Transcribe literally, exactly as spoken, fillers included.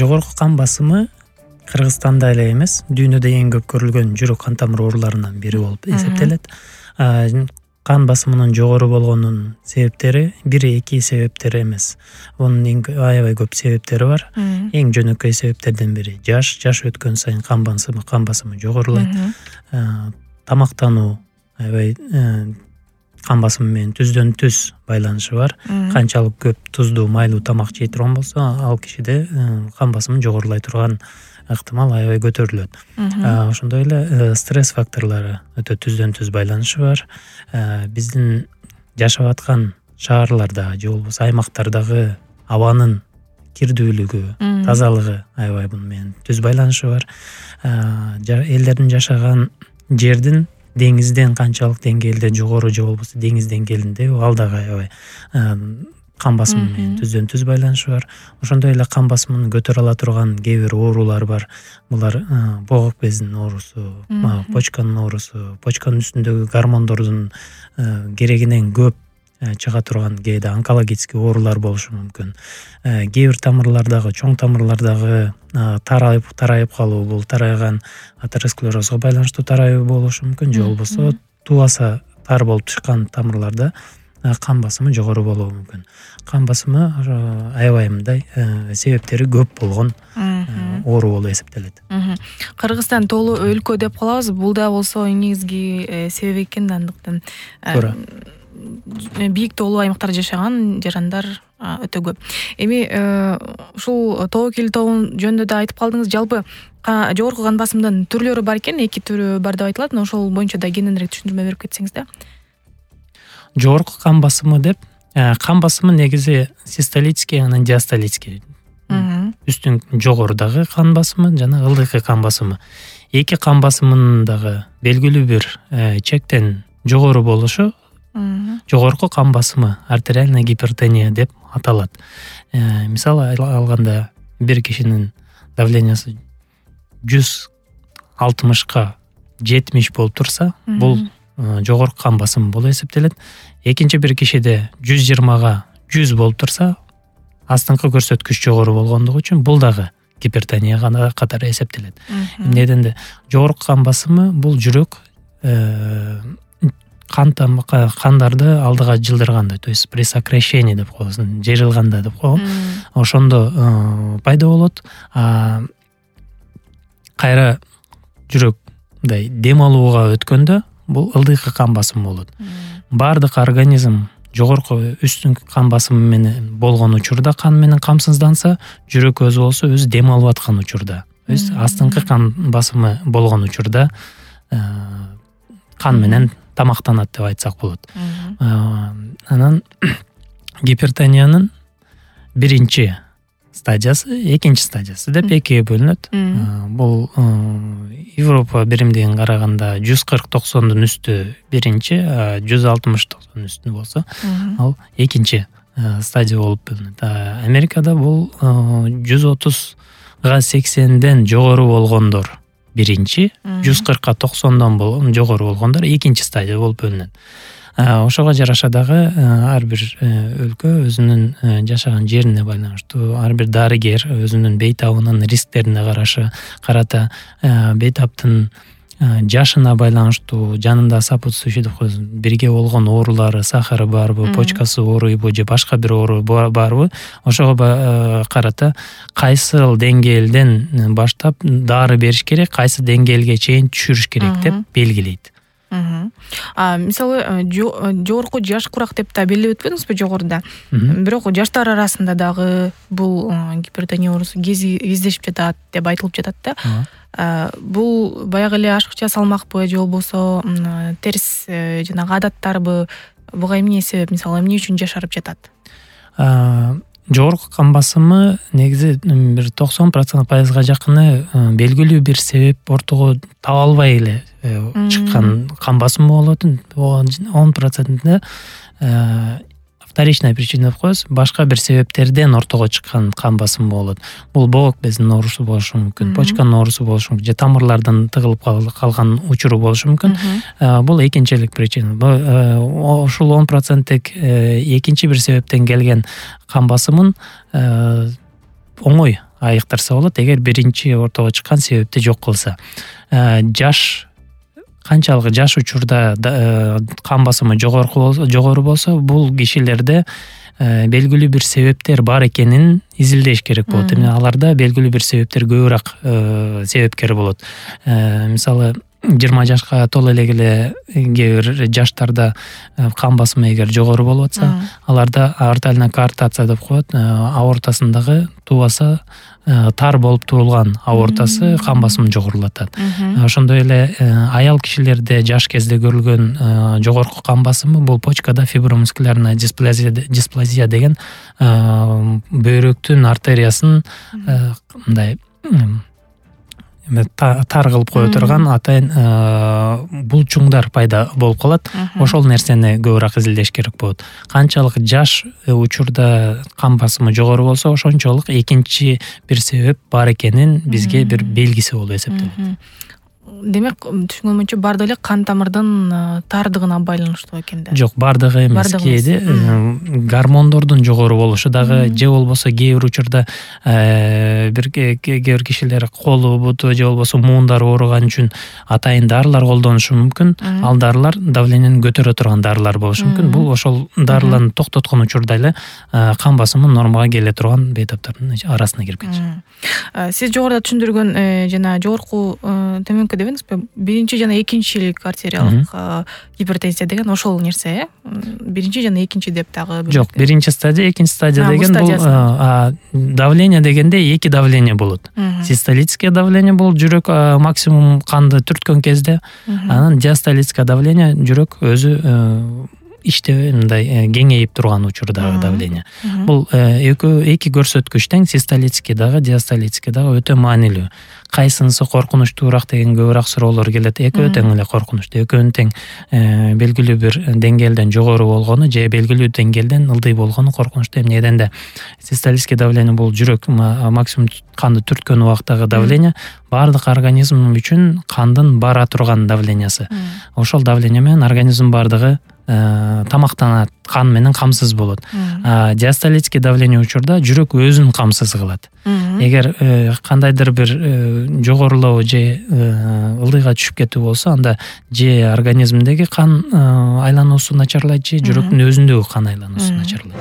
жогорку кан басымы Кыргызстанда эле эмес, дүйнөдө эң көп көрүлгөн жүрөк кан тамыр ооруларынын бири болуп эсептелет. Кан басымынын жогору болгонунун себептери бир эки себептер эмес. Онун эң аябай көп себептери бар. Эң жөнөкөй себептерден бири жаш, жаш өткөн сайын кан басымы, кан басымы жогорулайт. Тамактануу аябай кан басымы менен түздөн түз байланышы бар. Канчалык көп туздуу, майлуу тамак жей турган болсо, ал кишиде кан басымы жогорулай турган ыктымал аябай көтөрүлөт. Ошондой эле стресс факторлору өтө түздөн түз байланышы бар. Биздин жашап аткан шаарларда же болбосо аймактардагы абанын кирдүүлүгү, тазалыгы аябай муну менен түз байланышы бар. Элдердин жашаган жердин деңизден канчалык деңгээлде жогору же болбосо деңиз деңгээлинде, ал дагы аябай кан басымы менен түздөн түз байланышы бар. Ошондой эле кан басымын көтөрө ала турган кээ бир оорулар бар. Булар боогук безинин оорусу, почканын оорусу, почканын үстүндөгү гормондордун керегинен көп чыга турган кээде онкологический оорулар болушу мүмкүн. Кээ бир тамырлардагы, чоң тамырлардагы тарайып тарайып калуу, бул тарайган атеросклерозго байланыштуу тарайуу болушу мүмкүн, же болбосо тубаса тар болуп чыккан тамырларда кан басымы жогору болушу мүмкүн. Кан басымы аябай мындай себептери көп болгон оору болуп эсептелет. Кыргызстан тоолуу өлкө деп калабыз, бул да болсо негизги себеп экен да, андыктан бийик тоолуу аймактарда жашаган жарандар өтө көп. Эми ушул тобокел тобун жөнүндө да айтып калдыңыз. Жалпы жогорку кан басымдын түрлөрү бар экен, эки түрү бар деп айтылат. Ошол боюнча да кененирээк түшүндүрмө берип кетсеңиз да. Жогорку кан басымы деп, кан басымы негизи систолический, анан диастолический. Үстүн жогорудагы кан басымы жана ылдыйкы кан басымы. Эки кан басымынын дагы белгилүү бир чектен жогору болушу жогорку кан басымы, артериальная гипертония деп аталат. Мисалы алганда бир кишинин давлениясы жүз алтымышка жетимиш болуп турса, бул жогорку кан басымы болуп эсептелет. Экинчи бир кишиде жүз жыйырмага жүз болуп турса, астыңкы көрсөткүч жогору болгондугу үчүн бул дагы гипертонияга катары эсептелет. Эмнеден жогорку кан басымы бул жүрөк кан кандарды алдыга жылдырганда, то есть при сокращении деп коебуз, жайрылганда деп коебуз. Ошондо пайда болот. Кайра жүрөк мындай дем алууга өткөндө бул ылдыйкы кан басымы болот. Бардык организм жогорку үстүнкү кан басымы менен болгон учурда кан менен камсызданса, жүрөк өзү болсо өзү дем алып аткан учурда, то есть астыңкы кан басымы болгон учурда кан менен тамактанат деп айтсак болот. Анан гипертониянын биринчи стадиясы, экинчи стадиясы деп экиге бөлүнөт. Бул Европа биримдигин караганда жүз кырк токсондун үстү биринчи, жүз алтымыш токсондун үстү болсо, ал экинчи стадия болуп бөлүнөт. Америкада бул жүз отузга сексенден жогору болгондор биринчи, жүз кыркка токсондон болгон жогору болгондор экинчи стадия болуп бөлүнөт. Ошого жараша дагы ар бир өлкө өзүнүн жашаган жерине байланыштуу, ар бир дарыгер өзүнүн бейтабынын рисктерине карашы карата бейтаптын жашына байланыштуу, жанында сопутствующий деп коебуз, бирге болгон оорулары, сахары барбы, почкасы ооруйбу же башка бир оору барбы, ошого карата кайсыл деңгээлден баштап дары бериш керек, кайсы деңгээлге чейин түшүрүш керек деп белгилейт. Мисалы жогорку жаш курак деп да белгилеп өткөнбүзбү жогоруда. Бирок жаштар арасында дагы бул гипертония оорусу кездешип жатат деп айтылып жатат да. Бул баягы эле ашыкча салмакпы же болбосо терс жанагы адаттарбы, буга эмне себеп, мисалы эмне үчүн жашарып жатат? Жогорку кан басымы негизи бир токсон пайызга жакыны белгилүү бир себеп ортого таба албай эле чыккан кан басымы болот. он процентинде вторичная причина деп коебуз, башка бир себептерден ортого чыккан кан басымы болот. Бул боогук безинин оорусу болушу мүмкүн, почканын оорусу болушу мүмкүн, же тамырлардан тыгылып калган учуру болушу мүмкүн. Бул экинчилик причина. Ошол он проценттик экинчи бир себептен келген кан басымын оңой айыктырса болот. Эгер биринчи ортого чыккан себепти жок кылса, жаш канчалык жаш учурда кан басымы жогору болсо, бул кишилерде белгилүү бир себептер бар экенин изилдеш керек болот. Эми аларда белгилүү бир себептер көбүрөөк себепкер болот. Мисалы, жыйырма жашка толо элегиле кээ бир жаштарда кан басымы эгер жогору болуп атса, аларда артериальная коартация деп коет, аортасындагы туубаса тар болуп турулган аортасы кан басымын жогорулатат. Ошондой эле аял кишилерде жаш кезде көрүлгөн жогорку кан басымы бул почкада фибромускулярная дисплазия деген бөйрөктүн артериясын мындай тар кылып кое турган атайын булчуңдар пайда болуп калат. Ошол нерсени көбүрөөк изилдеш керек болот. Канчалык жаш учурда кан басымы жогору болсо, ошончолук экинчи бир себеп бар экенин бизге бир белгиси болуп эсептелет. Демек, түшүнгөнүмчө бардыгы эле кан тамырдын тардыгына байланыштуу экен да. Жок, бардыгы эмес, кээде гормондордун жогору болушу дагы, же болбосо кээ бир учурда бир кээ бир кишилер колу, буту же болбосо муундары ооруган үчүн атайын дарылар колдонушу мүмкүн. Ал дарылар давлениени көтөрө турган дарылар болушу мүмкүн. Бул ошол дарыларды токтоткон учурда эле кан басымы нормага келе турган бейтаптардын арасына кирип кетишет. Сиз жогоруда түшүндүргөн жана жогорку төмөнкү дебеңизби, биринчи жана экинчилик артериялык гипертензия деген ошол нерсе, э? Биринчи жана экинчи деп дагы. Жок, биринчи стадия, экинчи стадия деген бул давление дегенде эки давление болот. Систолическое давление бул жүрөк максимум канды түрткөн кезде, анан диастолическое давление жүрөк өзү иште мындай кеңейип турган учурдагы давление. Бул эки көрсөткүч тең, систолический дагы, диастолический дагы өтө маанилүү. Кайсынысы коркунучтуураак деген көбүрөөк суроолор келет. Экөө тең эле коркунучтуу, экөөнүн тең белгилүү бир деңгээлден жогору болгону же белгилүү деңгээлден ылдый болгону коркунучтуу. Эмне дегенде систолический давление бул жүрөк максимум канды түрткөн убактагы давление, баардык организм үчүн кандын бара турган давлениясы. Ошол давление менен организм баардыгы тамактанат, кан менен камсыз болот. Диастолический давление учурда жүрөк өзүн камсыз кылат. Эгер кандайдыр бир жогорулоо же ылдыйга түшүп кетүү болсо, анда же организмдеги кан айлануусу начарлайт, же жүрөктүн өзүндөгү кан айлануусу начарлайт.